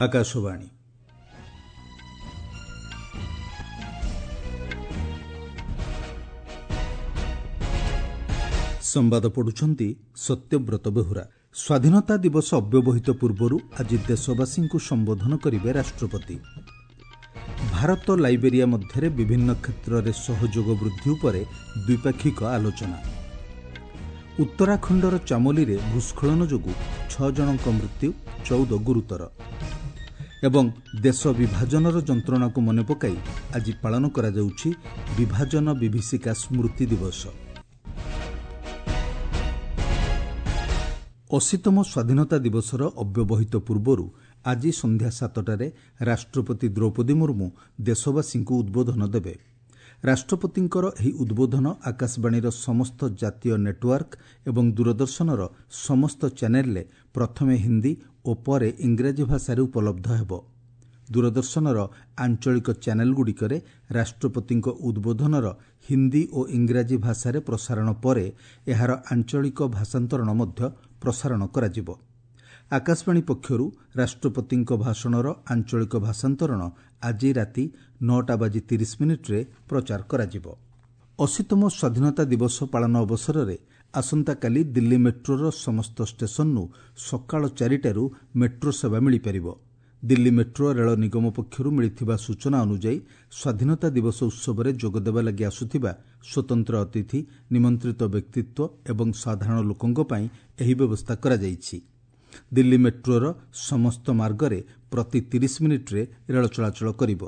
ଆକାଶବାଣୀ। ସମ୍ବାଦ ପଢୁଛନ୍ତି ସତ୍ୟବ୍ରତ ବେହୁରା। ସ୍ୱାଧୀନତା ଦିବସ ଅବ୍ୟବହିତ ପୂର୍ବରୁ ଆଜି ଦେଶବାସୀଙ୍କୁ ସମ୍ବୋଧନ କରିବେ ରାଷ୍ଟ୍ରପତି। ଭାରତ ଲାଇବେରିଆ ମଧ୍ୟରେ ବିଭିନ୍ନ କ୍ଷେତ୍ରରେ ସହଯୋଗ ବୃଦ୍ଧି ଉପରେ ଦ୍ୱିପାକ୍ଷିକ ଆଲୋଚନା। ଉତ୍ତରାଖଣ୍ଡର ଚାମୋଲିରେ ଭୂସ୍ଖଳନ ଯୋଗୁଁ 6 ଜଣଙ୍କ ମୃତ୍ୟୁ, 14 ଗୁରୁତର। ଏବଂ ଦେଶ ବିଭାଜନର ଯନ୍ତ୍ରଣାକୁ ମନେ ପକାଇ ଆଜି ପାଳନ କରାଯାଉଛି ବିଭାଜନ ବିଭୀଷିକା ସ୍ମୃତି ଦିବସ। 80ତମ ସ୍ୱାଧୀନତା ଦିବସର ଅବ୍ୟବହିତ ପୂର୍ବରୁ ଆଜି ସନ୍ଧ୍ୟା 7ଟାରେ ରାଷ୍ଟ୍ରପତି ଦ୍ରୌପଦୀ ମୁର୍ମୁ ଦେଶବାସୀଙ୍କୁ ଉଦ୍ବୋଧନ ଦେବେ। ରାଷ୍ଟ୍ରପତିଙ୍କର ଏହି ଉଦ୍ବୋଧନ ଆକାଶବାଣୀର ସମସ୍ତ ଜାତୀୟ ନେଟୱାର୍କ ଏବଂ ଦୂରଦର୍ଶନର ସମସ୍ତ ଚ୍ୟାନେଲରେ ପ୍ରଥମେ ହିନ୍ଦୀ ଓ ପରେ ଇଂରାଜୀ ଭାଷାରେ ଉପଲବ୍ଧ ହେବ। ଦୂରଦର୍ଶନର ଆଞ୍ଚଳିକ ଚ୍ୟାନେଲଗୁଡ଼ିକରେ ରାଷ୍ଟ୍ରପତିଙ୍କ ଉଦ୍ବୋଧନର ହିନ୍ଦୀ ଓ ଇଂରାଜୀ ଭାଷାରେ ପ୍ରସାରଣ ପରେ ଏହାର ଆଞ୍ଚଳିକ ଭାଷାନ୍ତରଣ ମଧ୍ୟ ପ୍ରସାରଣ କରାଯିବ। ଆକାଶବାଣୀ ପକ୍ଷରୁ ରାଷ୍ଟ୍ରପତିଙ୍କ ଭାଷଣର ଆଞ୍ଚଳିକ ଭାଷାନ୍ତରଣ ଆଜି ରାତି 9:30 ପ୍ରଚାର କରାଯିବ। 80ତମ ସ୍ୱାଧୀନତା ଦିବସ ପାଳନ ଅବସରରେ ଆସନ୍ତାକାଲି ଦିଲ୍ଲୀ ମେଟ୍ରୋର ସମସ୍ତ ଷ୍ଟେସନରୁ ସକାଳ 4ଟାରୁ ମେଟ୍ରୋ ସେବା ମିଳିପାରିବ। ଦିଲ୍ଲୀ ମେଟ୍ରୋ ରେଳ ନିଗମ ପକ୍ଷରୁ ମିଳିଥିବା ସୂଚନା ଅନୁଯାୟୀ ସ୍ୱାଧୀନତା ଦିବସ ଉତ୍ସବରେ ଯୋଗଦେବା ଲାଗି ଆସୁଥିବା ସ୍ୱତନ୍ତ୍ର ଅତିଥି, ନିମନ୍ତ୍ରିତ ବ୍ୟକ୍ତିତ୍ୱ ଏବଂ ସାଧାରଣ ଲୋକଙ୍କ ପାଇଁ ଏହି ବ୍ୟବସ୍ଥା କରାଯାଇଛି। ଦିଲ୍ଲୀ ମେଟ୍ରୋର ସମସ୍ତ ମାର୍ଗରେ ପ୍ରତି 30 ମିନିଟ୍ରେ ରେଳ ଚଳାଚଳ କରିବ।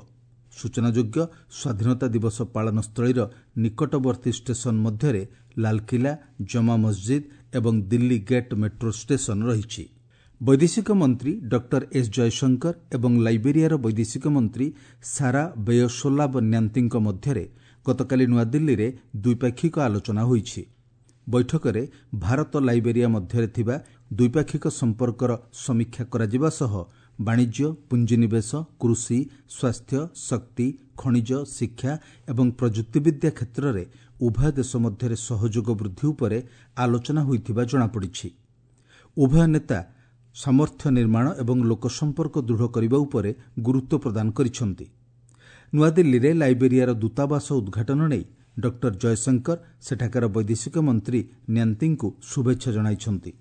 ସୂଚନାଯୋଗ୍ୟ, ସ୍ୱାଧୀନତା ଦିବସ ପାଳନ ସ୍ଥଳୀର ନିକଟବର୍ତ୍ତୀ ଷ୍ଟେସନ ମଧ୍ୟରେ ଲାଲକିଲ୍ଲା, ଜମା ମସଜିଦ୍ ଏବଂ ଦିଲ୍ଲୀ ଗେଟ୍ ମେଟ୍ରୋ ଷ୍ଟେସନ ରହିଛି। ବୈଦେଶିକ ମନ୍ତ୍ରୀ ଡକ୍ଟର ଏସ୍ ଜୟଶଙ୍କର ଏବଂ ଲାଇବେରିଆର ବୈଦେଶିକ ମନ୍ତ୍ରୀ ସାରା ବେୟୋସୋଲାବ ନ୍ୟାନ୍ତିଙ୍କ ମଧ୍ୟରେ ଗତକାଲି ନୂଆଦିଲ୍ଲୀରେ ଦ୍ୱିପାକ୍ଷିକ ଆଲୋଚନା ହୋଇଛି। ବୈଠକରେ ଭାରତ ଲାଇବେରିଆ ମଧ୍ୟରେ ଥିବା ଦ୍ୱିପାକ୍ଷିକ ସମ୍ପର୍କର ସମୀକ୍ଷା କରାଯିବା ସହ ବାଣିଜ୍ୟ, ପୁଞ୍ଜିନିବେଶ, କୃଷି, ସ୍ୱାସ୍ଥ୍ୟ, ଶକ୍ତି, ଖଣିଜ, ଶିକ୍ଷା ଏବଂ ପ୍ରଯୁକ୍ତିବିଦ୍ୟା କ୍ଷେତ୍ରରେ ଉଭୟ ଦେଶ ମଧ୍ୟରେ ସହଯୋଗ ବୃଦ୍ଧି ଉପରେ ଆଲୋଚନା ହୋଇଥିବା ଜଣାପଡ଼ିଛି। ଉଭୟ ନେତା ସାମର୍ଥ୍ୟ ନିର୍ମାଣ ଏବଂ ଲୋକସମ୍ପର୍କ ଦୃଢ଼ କରିବା ଉପରେ ଗୁରୁତ୍ୱ ପ୍ରଦାନ କରିଛନ୍ତି। ନୂଆଦିଲ୍ଲୀରେ ଲାଇବେରିଆର ଦୂତାବାସ ଉଦ୍ଘାଟନ ନେଇ ଡକ୍ଟର ଜୟଶଙ୍କର ସେଠାକାର ବୈଦେଶିକ ମନ୍ତ୍ରୀ ନ୍ୟାନ୍ତିଙ୍କୁ ଶୁଭେଚ୍ଛା ଜଣାଇଛନ୍ତି।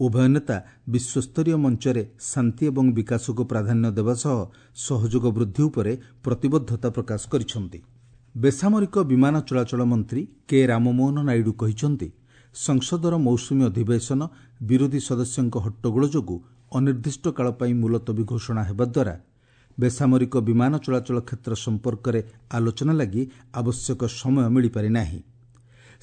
ଉଭୟ ନେତା ବିଶ୍ୱସ୍ତରୀୟ ମଞ୍ଚରେ ଶାନ୍ତି ଏବଂ ବିକାଶକୁ ପ୍ରାଧାନ୍ୟ ଦେବା ସହ ସହଯୋଗ ବୃଦ୍ଧି ଉପରେ ପ୍ରତିବଦ୍ଧତା ପ୍ରକାଶ କରିଛନ୍ତି। ବେସାମରିକ ବିମାନ ଚଳାଚଳ ମନ୍ତ୍ରୀ କେ ରାମମୋହନ ନାଇଡୁ କହିଛନ୍ତି, ସଂସଦର ମୌସୁମୀ ଅଧିବେଶନ ବିରୋଧୀ ସଦସ୍ୟଙ୍କ ହଟ୍ଟଗୋଳ ଯୋଗୁଁ ଅନିର୍ଦ୍ଦିଷ୍ଟ କାଳ ପାଇଁ ମୁଲତବୀ ଘୋଷଣା ହେବା ଦ୍ୱାରା ବେସାମରିକ ବିମାନ ଚଳାଚଳ କ୍ଷେତ୍ର ସମ୍ପର୍କରେ ଆଲୋଚନା ଲାଗି ଆବଶ୍ୟକ ସମୟ ମିଳିପାରିନାହିଁ।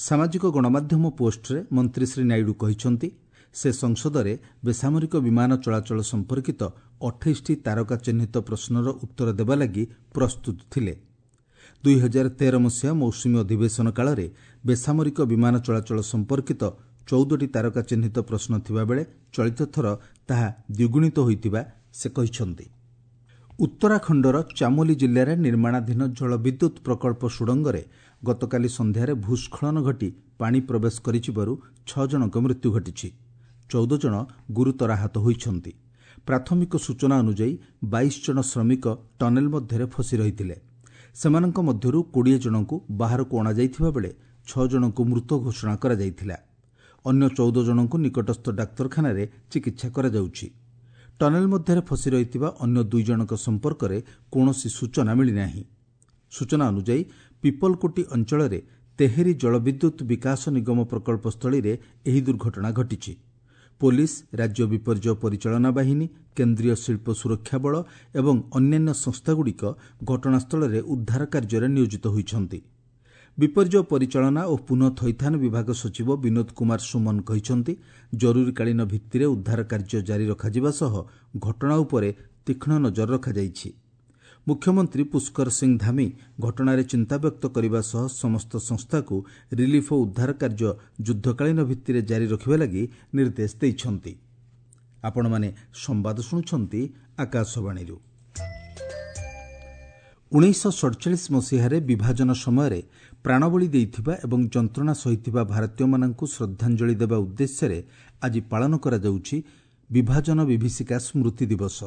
ସାମାଜିକ ଗଣମାଧ୍ୟମ ପୋଷ୍ଟରେ ମନ୍ତ୍ରୀ ଶ୍ରୀ ନାଇଡୁ କହିଛନ୍ତି, ସେ ସଂସଦରେ ବେସାମରିକ ବିମାନ ଚଳାଚଳ ସମ୍ପର୍କିତ 28ଟି ତାରକା ଚିହ୍ନିତ ପ୍ରଶ୍ନର ଉତ୍ତର ଦେବା ଲାଗି ପ୍ରସ୍ତୁତ ଥିଲେ। 2013 ମସିହା ମୌସୁମୀ ଅଧିବେଶନ କାଳରେ ବେସାମରିକ ବିମାନ ଚଳାଚଳ ସମ୍ପର୍କିତ 14ଟି ତାରକା ଚିହ୍ନିତ ପ୍ରଶ୍ନ ଥିବାବେଳେ ଚଳିତ ଥର ତାହା ଦ୍ୱିଗୁଣିତ ହୋଇଥିବା ସେ କହିଛନ୍ତି। ଉତ୍ତରାଖଣ୍ଡର ଚାମୋଲି ଜିଲ୍ଲାରେ ନିର୍ମାଣାଧୀନ ଜଳବିଦ୍ୟୁତ୍ ପ୍ରକଳ୍ପ ସୁଡ଼ଙ୍ଗରେ ଗତକାଲି ସନ୍ଧ୍ୟାରେ ଭୂସ୍ଖଳନ ଘଟି ପାଣି ପ୍ରବେଶ କରିଯିବାରୁ 6 ଜଣଙ୍କ ମୃତ୍ୟୁ ଘଟିଛି। 14 ଜଣ ଗୁରୁତର ଆହତ ହୋଇଛନ୍ତି। ପ୍ରାଥମିକ ସୂଚନା ଅନୁଯାୟୀ 22 ଜଣ ଶ୍ରମିକ ଟନେଲ ମଧ୍ୟରେ ଫସି ରହିଥିଲେ। ସେମାନଙ୍କ ମଧ୍ୟରୁ 20 ଜଣଙ୍କୁ ବାହାରକୁ ଅଣାଯାଇଥିବା ବେଳେ 6 ଜଣଙ୍କୁ ମୃତ ଘୋଷଣା କରାଯାଇଥିଲା। ଅନ୍ୟ 14 ଜଣଙ୍କୁ ନିକଟସ୍ଥ ଡାକ୍ତରଖାନାରେ ଚିକିତ୍ସା କରାଯାଉଛି। ଟନେଲ ମଧ୍ୟରେ ଫସି ରହିଥିବା ଅନ୍ୟ 2 ଜଣଙ୍କ ସମ୍ପର୍କରେ କୌଣସି ସୂଚନା ମିଳିନାହିଁ। ସୂଚନା ଅନୁଯାୟୀ ପିପଲକୋଟି ଅଞ୍ଚଳରେ ତେହେରି ଜଳବିଦ୍ୟୁତ୍ ବିକାଶ ନିଗମ ପ୍ରକଳ୍ପ ସ୍ଥଳୀରେ ଏହି ଦୁର୍ଘଟଣା ଘଟିଛି। ପୋଲିସ, ରାଜ୍ୟ ବିପର୍ଯ୍ୟୟ ପରିଚାଳନା ବାହିନୀ, କେନ୍ଦ୍ରୀୟ ଶିଳ୍ପ ସୁରକ୍ଷା ବଳ ଏବଂ ଅନ୍ୟାନ୍ୟ ସଂସ୍ଥାଗୁଡ଼ିକ ଘଟଣାସ୍ଥଳରେ ଉଦ୍ଧାର କାର୍ଯ୍ୟରେ ନିୟୋଜିତ ହୋଇଛନ୍ତି। ବିପର୍ଯ୍ୟୟ ପରିଚାଳନା ଓ ପୁନଃ ଥଇଥାନ ବିଭାଗ ସଚିବ ବିନୋଦ କୁମାର ସୁମନ କହିଛନ୍ତି, ଜରୁରୀକାଳୀନ ଭିତ୍ତିରେ ଉଦ୍ଧାର କାର୍ଯ୍ୟ ଜାରି ରଖାଯିବା ସହ ଘଟଣା ଉପରେ ତୀକ୍ଷ୍ଣ ନଜର ରଖାଯାଇଛି। ମୁଖ୍ୟମନ୍ତ୍ରୀ ପୁଷ୍କର ସିଂ ଧାମି ଘଟଣାରେ ଚିନ୍ତା ବ୍ୟକ୍ତ କରିବା ସହ ସମସ୍ତ ସଂସ୍ଥାକୁ ରିଲିଫ୍ ଓ ଉଦ୍ଧାର କାର୍ଯ୍ୟ ଯୁଦ୍ଧକାଳୀନ ଭିତ୍ତିରେ ଜାରି ରଖିବା ଲାଗି ନିର୍ଦ୍ଦେଶ ଦେଇଛନ୍ତି। ଆପଣମାନେ ସମ୍ବାଦ ଶୁଣୁଛନ୍ତି ଆକାଶବାଣୀରୁ। 1947 ମସିହାରେ ବିଭାଜନ ସମୟରେ ପ୍ରାଣବଳି ଦେଇଥିବା ଏବଂ ଯନ୍ତ୍ରଣା ସହିଥିବା ଭାରତୀୟମାନଙ୍କୁ ଶ୍ରଦ୍ଧାଞ୍ଜଳି ଦେବା ଉଦ୍ଦେଶ୍ୟରେ ଆଜି ପାଳନ କରାଯାଉଛି ବିଭାଜନ ବିଭୀଷିକା ସ୍ମୃତି ଦିବସ।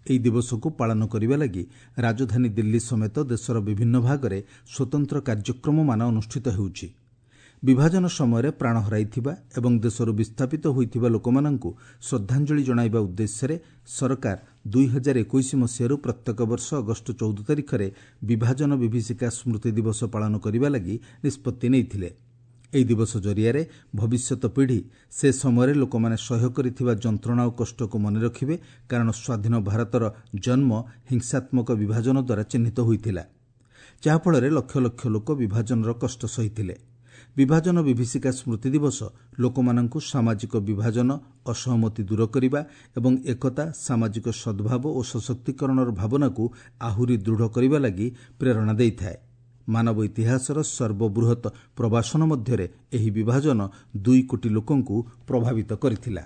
ଏହି ଦିବସକୁ ପାଳନ କରିବା ଲାଗି ରାଜଧାନୀ ଦିଲ୍ଲୀ ସମେତ ଦେଶର ବିଭିନ୍ନ ଭାଗରେ ସ୍ୱତନ୍ତ୍ର କାର୍ଯ୍ୟକ୍ରମମାନ ଅନୁଷ୍ଠିତ ହେଉଛି। ବିଭାଜନ ସମୟରେ ପ୍ରାଣ ହରାଇଥିବା ଏବଂ ଦେଶରୁ ବିସ୍ଥାପିତ ହୋଇଥିବା ଲୋକମାନଙ୍କୁ ଶ୍ରଦ୍ଧାଞ୍ଜଳି ଜଣାଇବା ଉଦ୍ଦେଶ୍ୟରେ ସରକାର 2021 ମସିହାରୁ ପ୍ରତ୍ୟେକ ବର୍ଷ ଅଗଷ୍ଟ 14 ତାରିଖରେ ବିଭାଜନ ବିଭୀଷିକା ସ୍ମୃତି ଦିବସ ପାଳନ କରିବା ଲାଗି ନିଷ୍ପତ୍ତି ନେଇଥିଲେ। ଏହି ଦିବସ ଜରିଆରେ ଭବିଷ୍ୟତ ପିଢ଼ି ସେ ସମୟରେ ଲୋକମାନେ ସହ୍ୟ କରିଥିବା ଯନ୍ତ୍ରଣା ଓ କଷ୍ଟକୁ ମନେ ରଖିବେ, କାରଣ ସ୍ୱାଧୀନ ଭାରତର ଜନ୍ମ ହିଂସାତ୍ମକ ବିଭାଜନ ଦ୍ୱାରା ଚିହ୍ନିତ ହୋଇଥିଲା, ଯାହାଫଳରେ ଲକ୍ଷ ଲକ୍ଷ ଲୋକ ବିଭାଜନର କଷ୍ଟ ସହିଥିଲେ। ବିଭାଜନ ବିଭୀଷିକା ସ୍ମୃତି ଦିବସ ଲୋକମାନଙ୍କୁ ସାମାଜିକ ବିଭାଜନ, ଅସହମତି ଦୂର କରିବା ଏବଂ ଏକତା, ସାମାଜିକ ସଦ୍ଭାବ ଓ ସଶକ୍ତିକରଣର ଭାବନାକୁ ଆହୁରି ଦୃଢ଼ କରିବା ଲାଗି ପ୍ରେରଣା ଦେଇଥାଏ। ମାନବ ଇତିହାସର ସର୍ବବୃହତ୍ ପ୍ରବାସନ ମଧ୍ୟରେ ଏହି ବିଭାଜନ 2 କୋଟି ଲୋକଙ୍କୁ ପ୍ରଭାବିତ କରିଥିଲା।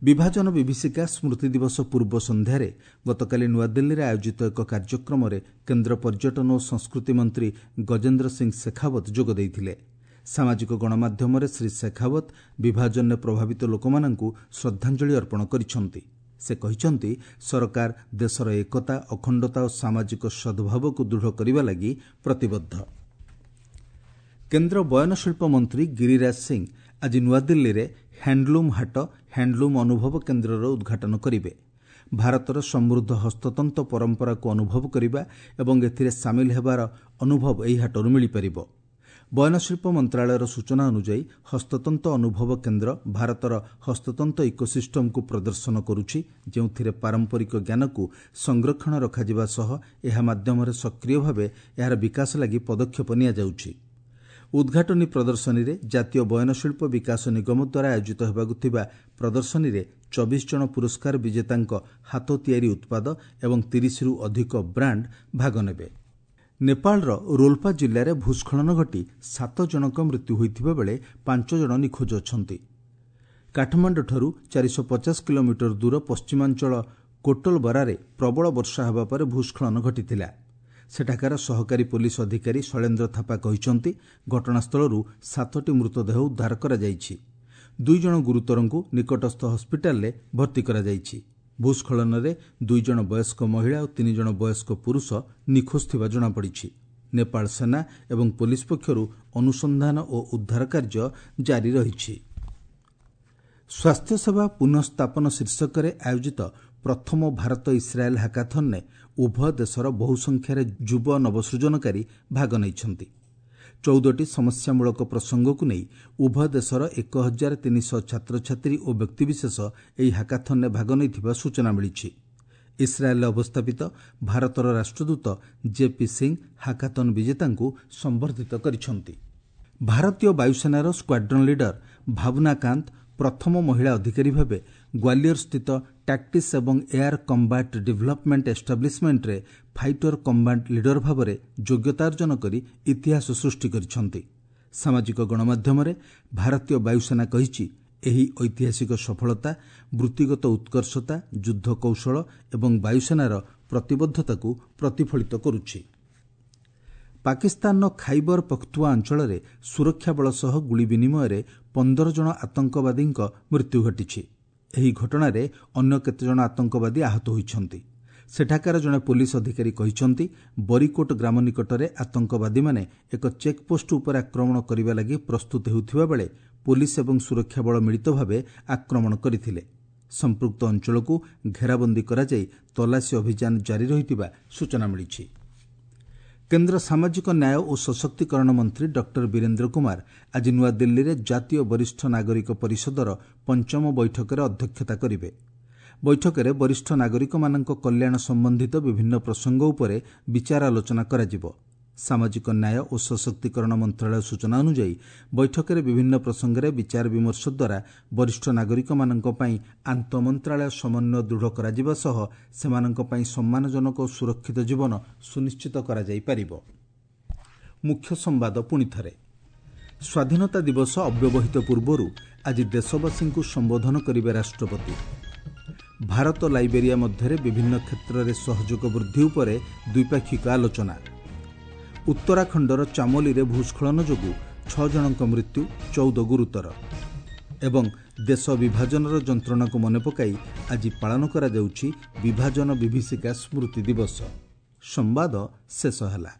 ବିଭାଜନ ବିଭୀଷିକା ସ୍ମୃତି ଦିବସ ପୂର୍ବ ସନ୍ଧ୍ୟାରେ ଗତକାଲି ନୂଆଦିଲ୍ଲୀରେ ଆୟୋଜିତ ଏକ କାର୍ଯ୍ୟକ୍ରମରେ କେନ୍ଦ୍ର ପର୍ଯ୍ୟଟନ ଓ ସଂସ୍କୃତି ମନ୍ତ୍ରୀ ଗଜେନ୍ଦ୍ର ସିଂ ଶେଖାୱତ ଯୋଗ ଦେଇଥିଲେ। ସାମାଜିକ ଗଣମାଧ୍ୟମରେ ଶ୍ରୀ ଶେଖାୱତ ବିଭାଜନରେ ପ୍ରଭାବିତ ଲୋକମାନଙ୍କୁ ଶ୍ରଦ୍ଧାଞ୍ଜଳି ଅର୍ପଣ କରିଛନ୍ତି। ସେ କହିଛନ୍ତି, ସରକାର ଦେଶର ଏକତା, ଅଖଣ୍ଡତା ଓ ସାମାଜିକ ସଦ୍ଭାବକୁ ଦୃଢ଼ କରିବା ଲାଗି ପ୍ରତିବଦ୍ଧ। କେନ୍ଦ୍ର ବୟନଶିଳ୍ପ ମନ୍ତ୍ରୀ ଗିରିରାଜ ସିଂ ଆଜି ନୂଆଦିଲ୍ଲୀରେ ହ୍ୟାଣ୍ଡଲୁମ୍ ହାଟ, ହ୍ୟାଣ୍ଡଲୁମ୍ ଅନୁଭବ କେନ୍ଦ୍ରର ଉଦ୍ଘାଟନ କରିବେ। ଭାରତର ସମୃଦ୍ଧ ହସ୍ତତନ୍ତ ପରମ୍ପରାକୁ ଅନୁଭବ କରିବା ଏବଂ ଏଥିରେ ସାମିଲ ହେବାର ଅନୁଭବ ଏହି ହାଟରୁ ମିଳିପାରିବ। ବୟନଶିଳ୍ପ ମନ୍ତ୍ରଣାଳୟର ସୂଚନା ଅନୁଯାୟୀ ହସ୍ତତନ୍ତ ଅନୁଭବ କେନ୍ଦ୍ର ଭାରତର ହସ୍ତତନ୍ତ ଇକୋସିଷ୍ଟମକୁ ପ୍ରଦର୍ଶନ କରୁଛି, ଯେଉଁଥିରେ ପାରମ୍ପରିକ ଜ୍ଞାନକୁ ସଂରକ୍ଷଣ ରଖାଯିବା ସହ ଏହା ମାଧ୍ୟମରେ ସକ୍ରିୟ ଭାବେ ଏହାର ବିକାଶ ଲାଗି ପଦକ୍ଷେପ ନିଆଯାଉଛି। ଉଦ୍ଘାଟନୀ ପ୍ରଦର୍ଶନୀରେ ଜାତୀୟ ବୟନଶିଳ୍ପ ବିକାଶ ନିଗମ ଦ୍ୱାରା ଆୟୋଜିତ ହେବାକୁ ଥିବା ପ୍ରଦର୍ଶନୀରେ 24 ଜଣ ପୁରସ୍କାର ବିଜେତାଙ୍କ ହାତ ତିଆରି ଉତ୍ପାଦ ଏବଂ 30ରୁ ଅଧିକ ବ୍ରାଣ୍ଡ ଭାଗ ନେବେ। ନେପାଳର ରୋଲ୍ପା ଜିଲ୍ଲାରେ ଭୂସ୍ଖଳନ ଘଟି 7 ଜଣଙ୍କ ମୃତ୍ୟୁ ହୋଇଥିବା ବେଳେ 5 ଜଣ ନିଖୋଜ ଅଛନ୍ତି। କାଠମାଣ୍ଡୁଠାରୁ 450 କିଲୋମିଟର ଦୂର ପଶ୍ଚିମାଞ୍ଚଳ କୋଟଲବରାରେ ପ୍ରବଳ ବର୍ଷା ହେବା ପରେ ଭୂସ୍ଖଳନ ଘଟିଥିଲା। ସେଠାକାର ସହକାରୀ ପୋଲିସ ଅଧିକାରୀ ଶୈଳେନ୍ଦ୍ର ଥାପା କହିଛନ୍ତି, ଘଟଣାସ୍ଥଳରୁ 7ଟି ମୃତଦେହ ଉଦ୍ଧାର କରାଯାଇଛି। 2 ଜଣ ଗୁରୁତରଙ୍କୁ ନିକଟସ୍ଥ ହସ୍ପିଟାଲରେ ଭର୍ତ୍ତି କରାଯାଇଛି। ଭୂସ୍ଖଳନରେ 2 ଜଣ ବୟସ୍କ ମହିଳା ଓ 3 ଜଣ ବୟସ୍କ ପୁରୁଷ ନିଖୋଜ ଥିବା ଜଣାପଡ଼ିଛି। ନେପାଳ ସେନା ଏବଂ ପୋଲିସ ପକ୍ଷରୁ ଅନୁସନ୍ଧାନ ଓ ଉଦ୍ଧାର କାର୍ଯ୍ୟ ଜାରି ରହିଛି। ସ୍ୱାସ୍ଥ୍ୟସେବା ପୁନଃସ୍ଥାପନ ଶୀର୍ଷକରେ ଆୟୋଜିତ ପ୍ରଥମ ଭାରତ ଇସ୍ରାଏଲ୍ ହାକାଥନ୍ରେ ଉଭୟ ଦେଶର ବହୁ ସଂଖ୍ୟାରେ ଯୁବ ନବସୃଜନକାରୀ ଭାଗ ନେଇଛନ୍ତି। 14ଟି ସମସ୍ୟାମୂଳକ ପ୍ରସଙ୍ଗକୁ ନେଇ ଉଭୟ ଦେଶର 1300 ଛାତ୍ରଛାତ୍ରୀ ଓ ବ୍ୟକ୍ତିବିଶେଷ ଏହି ହାକାଥନ୍ରେ ଭାଗ ନେଇଥିବା ସୂଚନା ମିଳିଛି। ଇସ୍ରାଏଲ୍ରେ ଅବସ୍ଥାପିତ ଭାରତର ରାଷ୍ଟ୍ରଦୂତ ଜେପି ସିଂ ହାକାଥନ୍ ବିଜେତାଙ୍କୁ ସମ୍ବର୍ଦ୍ଧିତ କରିଛନ୍ତି। ଭାରତୀୟ ବାୟୁସେନାର ସ୍କ୍ୱାଡ୍ରନ୍ ଲିଡର ଭାବନା କାନ୍ତ ପ୍ରଥମ ମହିଳା ଅଧିକାରୀ ଭାବେ ଗ୍ୱାଲିୟର ସ୍ଥିତ ଟାକ୍ଟିକ୍ସ ଏବଂ ଏୟାର କମ୍ବାଟ୍ ଡେଭଲପମେଣ୍ଟ ଏଷ୍ଟାବ୍ଲିଶମେଣ୍ଟରେ ଫାଇଟର କମ୍ବାଟ୍ ଲିଡର ଭାବରେ ଯୋଗ୍ୟତା ଅର୍ଜନ କରି ଇତିହାସ ସୃଷ୍ଟି କରିଛନ୍ତି। ସାମାଜିକ ଗଣମାଧ୍ୟମରେ ଭାରତୀୟ ବାୟୁସେନା କହିଛି, ଏହି ଐତିହାସିକ ସଫଳତା ବୃତ୍ତିଗତ ଉତ୍କର୍ଷତା, ଯୁଦ୍ଧ କୌଶଳ ଏବଂ ବାୟୁସେନାର ପ୍ରତିବଦ୍ଧତାକୁ ପ୍ରତିଫଳିତ କରୁଛି। ପାକିସ୍ତାନର ଖାଇବର ପଖ୍ତୁଆ ଅଞ୍ଚଳରେ ସୁରକ୍ଷା ବଳ ସହ ଗୁଳି ବିନିମୟରେ 15 ଜଣ ଆତଙ୍କବାଦୀଙ୍କ ମୃତ୍ୟୁ ଘଟିଛି। ଏହି ଘଟଣାରେ ଅନ୍ୟ କେତେଜଣ ଆତଙ୍କବାଦୀ ଆହତ ହୋଇଛନ୍ତି। ସେଠାକାର ଜଣେ ପୋଲିସ ଅଧିକାରୀ କହିଛନ୍ତି, ବରିକୋଟ ଗ୍ରାମ ନିକଟରେ ଆତଙ୍କବାଦୀମାନେ ଏକ ଚେକ୍ପୋଷ୍ଟ ଉପରେ ଆକ୍ରମଣ କରିବା ଲାଗି ପ୍ରସ୍ତୁତ ହେଉଥିବା ବେଳେ ପୋଲିସ ଏବଂ ସୁରକ୍ଷା ବଳ ମିଳିତ ଭାବେ ଆକ୍ରମଣ କରିଥିଲେ। ସମ୍ପୃକ୍ତ ଅଞ୍ଚଳକୁ ଘେରାବନ୍ଦୀ କରାଯାଇ ତଲାସୀ ଅଭିଯାନ ଜାରି ରହିଥିବା ସୂଚନା ମିଳିଛି। କେନ୍ଦ୍ର ସାମାଜିକ ନ୍ୟାୟ ଓ ସଶକ୍ତିକରଣ ମନ୍ତ୍ରୀ ଡକ୍ଟର ବୀରେନ୍ଦ୍ର କୁମାର ଆଜି ନୂଆଦିଲ୍ଲୀରେ ଜାତୀୟ ବରିଷ୍ଠ ନାଗରିକ ପରିଷଦର ପଞ୍ଚମ ବୈଠକରେ ଅଧ୍ୟକ୍ଷତା କରିବେ। ବୈଠକରେ ବରିଷ୍ଠ ନାଗରିକମାନଙ୍କ କଲ୍ୟାଣ ସମ୍ବନ୍ଧିତ ବିଭିନ୍ନ ପ୍ରସଙ୍ଗ ଉପରେ ବିଚାର ଆଲୋଚନା କରାଯିବ। ସାମାଜିକ ନ୍ୟାୟ ଓ ସଶକ୍ତିକରଣ ମନ୍ତ୍ରଣାଳୟ ସୂଚନା ଅନୁଯାୟୀ ବୈଠକରେ ବିଭିନ୍ନ ପ୍ରସଙ୍ଗରେ ବିଚାର ବିମର୍ଶ ଦ୍ୱାରା ବରିଷ୍ଠ ନାଗରିକମାନଙ୍କ ପାଇଁ ଆନ୍ତଃମନ୍ତ୍ରାଳୟ ସମନ୍ୱୟ ଦୃଢ଼ କରାଯିବା ସହ ସେମାନଙ୍କ ପାଇଁ ସମ୍ମାନଜନକ ଓ ସୁରକ୍ଷିତ ଜୀବନ ସୁନିଶ୍ଚିତ କରାଯାଇପାରିବ। ମୁଖ୍ୟ ସମ୍ବାଦ ପୁଣିଥରେ। ସ୍ୱାଧୀନତା ଦିବସ ଅବ୍ୟବହିତ ପୂର୍ବରୁ ଆଜି ଦେଶବାସୀଙ୍କୁ ସମ୍ବୋଧନ କରିବେ ରାଷ୍ଟ୍ରପତି। ଭାରତ ଲାଇବେରିଆ ମଧ୍ୟରେ ବିଭିନ୍ନ କ୍ଷେତ୍ରରେ ସହଯୋଗ ବୃଦ୍ଧି ଉପରେ ଦ୍ୱିପାକ୍ଷିକ ଆଲୋଚନା। ଉତ୍ତରାଖଣ୍ଡର ଚାମୋଲିରେ ଭୂସ୍ଖଳନ ଯୋଗୁଁ 6 ଜଣଙ୍କ ମୃତ୍ୟୁ, 14 ଗୁରୁତର। ଏବଂ ଦେଶ ବିଭାଜନର ଯନ୍ତ୍ରଣାକୁ ମନେ ପକାଇ ଆଜି ପାଳନ କରାଯାଉଛି ବିଭାଜନ ବିଭୀଷିକା ସ୍ମୃତି ଦିବସ। ସମ୍ବାଦ ଶେଷ ହେଲା।